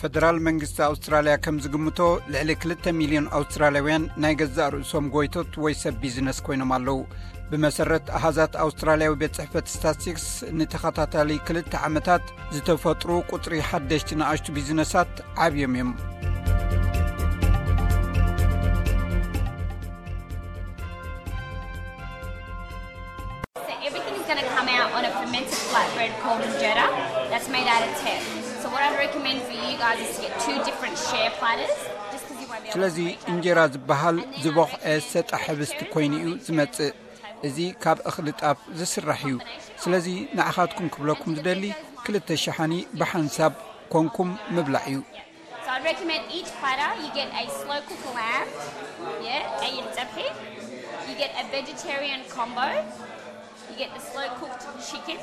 ፈደራል መንግስቲ ኣውስትራልያ ከም ዝግምቶ፣ ልዕሊ ክልተ ሚልዮን ኣውስትራልያውያን ናይ ገዛእ ርእሶም ጎይቶት ወይ ሰብ ቢዝነስ ኮይኖም ኣለዉ። ብመሰረት ኣሃዛት ኣውስትራልያዊ ቤት ጽሕፈት ስታትስቲክስ፣ ንተኸታታሊ ክልተ ዓመታት ዝተፈጥሩ ቁጽሪ ሓደሽቲ ንኣሽቱ ቢዝነሳት ዓብዮም እዮም። So everything's going to come out on a fermented flatbread called injera that's made out of teff. So what I'd recommend for you guys is to get two different share platters, just because you won't be able ስለዚ to reach out እንጀራ ዝበሃል ዝበኹዐ ሰጣ ሕብስቲ ኮይኑ እዩ ዝመጽእ። እዚ ካብ እኽሊ ጣፍ ዝስራሕ እዩ። ስለዚ ንዓኻትኩም ክብለኩም ዝደሊ፣ ክልተ ሸሓኒ ብሓንሳብ ኮንኩም ምብላዕ እዩ። So I'd recommend each platter you get a slow cook lamb, yeah, a ጸብሒ, you get a vegetarian combo, you get the slow cooked chicken,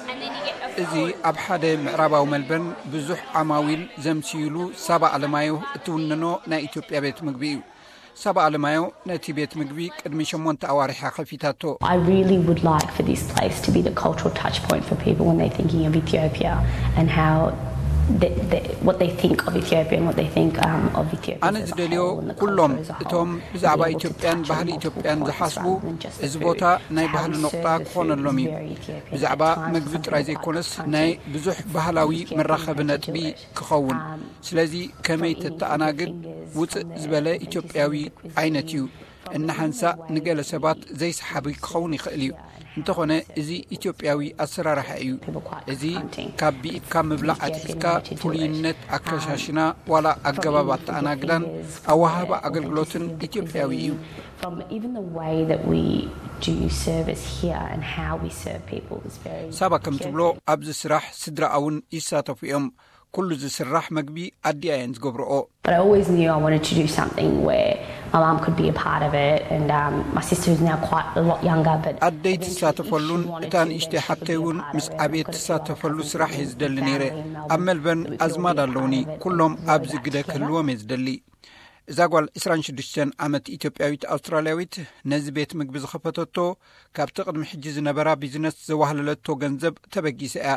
and then you get a እዚ full ኣብ ሓደ ምዕራባዊ መልበርን ብዙሕ ዓማዊል ዘምስይሉ ሳባ ኣለማዮ እትውንኖ ናይ ኢትዮጵያ ቤት ምግቢ እዩ። ሳባ ኣለማዮ ነቲ ቤት ምግቢ ቅድሚ ሸሞንተ ኣዋርሕ እያ ከፊታቶ። I really would like for this place to be the cultural touch point for people when they're thinking of Ethiopia and how they, they, what they think of Ethiopia and what they think um, of Ethiopia ኣነ as a ዝደልዮ whole and the ኩሎም culture as a whole. እቶም ብዛዕባ ኢትዮጵያን ባህሊ ኢትዮጵያን ዝሓስቡ፣ እዚ ቦታ ናይ ባህሊ ነቑጣ ክኾነሎም እዩ። ብዛዕባ ምግቢ ጥራይ ዘይኮነስ፣ ናይ ብዙሕ ባህላዊ መራኸቢ ነጥቢ ክኸውን። ስለዚ ከመይ ተተኣናግድ ውፅእ ዝበለ ኢትዮጵያዊ ዓይነት እዩ። እናሓንሳእ ንገለ ሰባት ዘይሰሓቢ ክኸውን ይኽእል እዩ። እንተኾነ እዚ ኢትዮጵያዊ ኣሰራርሓ እዩ። እዚ ካብ ብኢድካ ምብላዕ ኣትሒዝካ ፍሉይነት ኣከሻሽና ዋላ ኣገባብ ኣተኣናግዳን ኣወሃህባ ኣገልግሎትን ኢትዮጵያዊ እዩ። From even the way that we do service here and how we serve people is very ሳባ ከም ትብሎ ኣብዚ ስራሕ ስድራኣ እውን ይሳተፉ እዮም። ኩሉ ዝስራሕ መግቢ ኣዲኣ እየን ዝገብርኦ። But I always knew I wanted to do something where my mum could be a part of it, and um, my sister, who's now quite a lot younger, but ኣደይ ትሳተፈሉን እታ ንእሽተይ ሓብተይ እውን ምስ ዓብየት ትሳተፈሉ ስራሕ እየ ዝደሊ ነይረ። ኣብ መልበርን ኣዝማድ ኣለውኒ። ኩሎም ኣብዚ ግደ ክህልዎም እየ ዝደሊ። እዛ ጓል ዕስራን ሽዱሽተን ዓመት ኢትዮጵያዊት ኣውስትራልያዊት ነዚ ቤት ምግቢ ዝኸፈተቶ፣ ካብቲ ቅድሚ ሕጂ ዝነበራ ቢዝነስ ዘዋህለለቶ ገንዘብ ተበጊሰ እያ።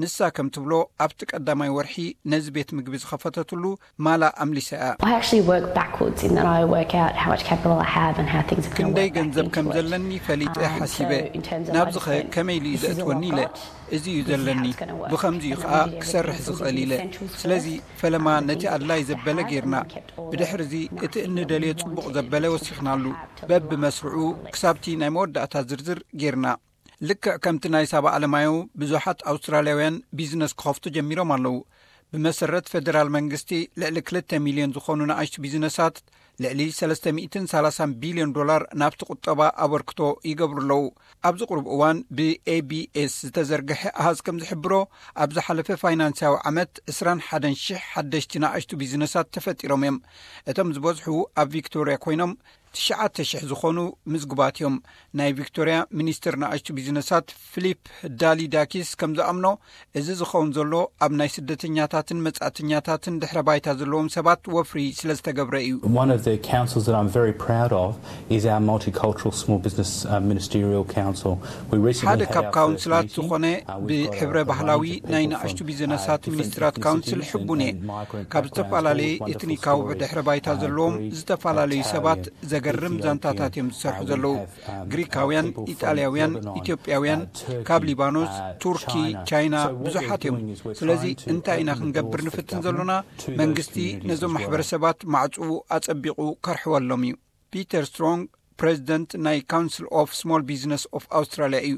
ንሳ ከም ትብሎ፣ ኣብቲ ቀዳማይ ወርሒ ነዚ ቤት ምግቢ ዝኸፈተትሉ ማላ ኣምሊሳ እያ። I actually work backwards in that I work out how much capital I have and how things are going to ክንደይ work back ገንዘብ ከም into it. ዘለኒ ፈሊጠ Um, ሓሲበ። so in terms of, I ናብዚ just ኸ went, ከመይ ኢሉ እዩ "This is all ዘእትወኒ I've ኢለ። got. እዚ እዩ This is how ዘለኒ። it's gonna work." ብኸምዚ እዩ And ከዓ I did everything ክሰርሕ else. We did ዝኽእል the ኢለ። essentials ስለዚ first. ፈለማ Um, the ነቲ things ኣድላይ that I ዘበለ had, and ጌርና። then we kept all the ብድሕርዚ እቲ nice እንደልዮ things ጽቡቕ that ዘበለ we ወሲኽናሉ። have to በብመስርዑ ክሳብቲ ናይ መወዳእታ ዝርዝር ጌርና። ልክዕ ከምቲ ናይ ሳባ ኣለማዮ፣ ብዙሓት ኣውስትራልያውያን ቢዝነስ ክኸፍቱ ጀሚሮም ኣለዉ። ብመሰረት ፈደራል መንግስቲ፣ ልዕሊ ክልተ ሚልዮን ዝኾኑ ንኣሽቱ ቢዝነሳት ልዕሊ ሰለስተ ሚእትን ሰላሳን ቢልዮን ዶላር ናብቲ ቁጠባ ኣበርክቶ ይገብሩ ኣለዉ። ኣብዚ ቁሩብ እዋን ብኤቢኤስ ዝተዘርግሐ ኣሃዝ ከም ዝሕብሮ፣ ኣብ ዝሓለፈ ፋይናንሳዊ ዓመት ዕስራን ሓደን ሽሕ ሓደሽቲ ንኣሽቱ ቢዝነሳት ተፈጢሮም እዮም። እቶም ዝበዝሑ ኣብ ቪክቶርያ ኮይኖም፣ ትሽዓተ ሽሕ ዝኾኑ ምዝጉባት እዮም። ናይ ቪክቶርያ ሚኒስትር ንኣሽቱ ቢዝነሳት ፊሊፕ ዳሊዳኪስ ከም ዝኣምኖ፣ እዚ ዝኸውን ዘሎ ኣብ ናይ ስደተኛታትን መጻእተኛታትን ድሕረ ባይታ ዘለዎም ሰባት ወፍሪ ስለ ዝተገብረ እዩ። One of the councils that I'm very proud of is our multicultural small business uh, ministerial council. We recently ሓደ had ካብ our ካውንስላት first meeting. ዝኾነ Uh, we've got a- ብሕብረ a range ባህላዊ of people ናይ from, ንኣሽቱ uh, ቢዝነሳት different ሚኒስትራት ካውንስል ethnicities and, ሕቡን እየ። and migrant ካብ backgrounds, ዝተፈላለየ all wonderful ኤትኒካዊ stories, ድሕረ ባይታ uh, ዘለዎም Greeks, ዝተፈላለዩ uh, ሰባት Italian, ዘገርም Ethiopian, ዛንታታት እዮም ዝሰርሑ uh, we ዘለዉ። have, um, ግሪካውያን፣ uh, people from ኢጣልያውያን፣ Lebanon, ኢትዮጵያውያን፣ uh, Turkey, ካብ ሊባኖስ፣ uh, ቱርኪ፣ China. ቻይና So what we're ብዙሓት እዮም። doing is we're ስለዚ trying to እንታይ ኢና open the ክንገብር doors for ንፍትን government ዘሎና? to those መንግስቲ communities ነዞም as well. ማሕበረሰባት ማዕፅኡ ኣጸቢቑ ከርሕወሎም እዩ። ፒተር ስትሮንግ ፕሬዚደንት ናይ ካውንስል ኦፍ ስሞል ቢዝነስ ኦፍ ኣውስትራልያ እዩ።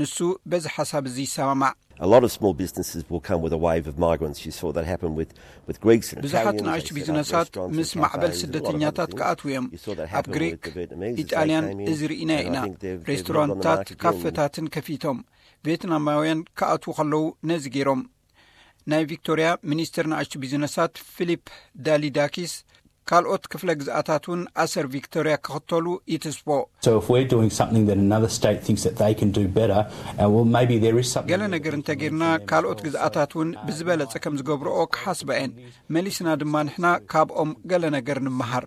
ንሱ በዚ ሓሳብ እዚ ይሰማማዕ። A lot of small businesses will come with a wave of migrants. You saw that happen with, with Greeks and ብዙሓት Italians. ንኣሽቱ ቢዝነሳት ምስ ማዕበል ስደተኛታት ክኣትዉ እዮም። ኣብ ግሪክ፣ ኢጣልያን እዚ ርኢና ኢና። ሬስቶራንታት፣ ካፌታትን ከፊቶም ቬትናማውያን ክኣትዉ ከለዉ ነዚ ገይሮም። ናይ ቪክቶርያ ሚኒስትር ንኣሽቱ ቢዝነሳት ፊሊፕ ዳሊዳኪስ፣ ካልኦት ክፍለ ግዝኣታት እውን ኣሰር ቪክቶርያ ክኽተሉ ይትስፎ። So if we're doing something that another state thinks that they can do better, uh, well, maybe there is something ገለ ነገር እንተጌርና፣ ካልኦት ግዝኣታት እውን ብዝበለጸ ከም ዝገብርኦ ክሓስባ እየን። መሊስና ድማ ንሕና ካብኦም ገለ ነገር ንምሃር።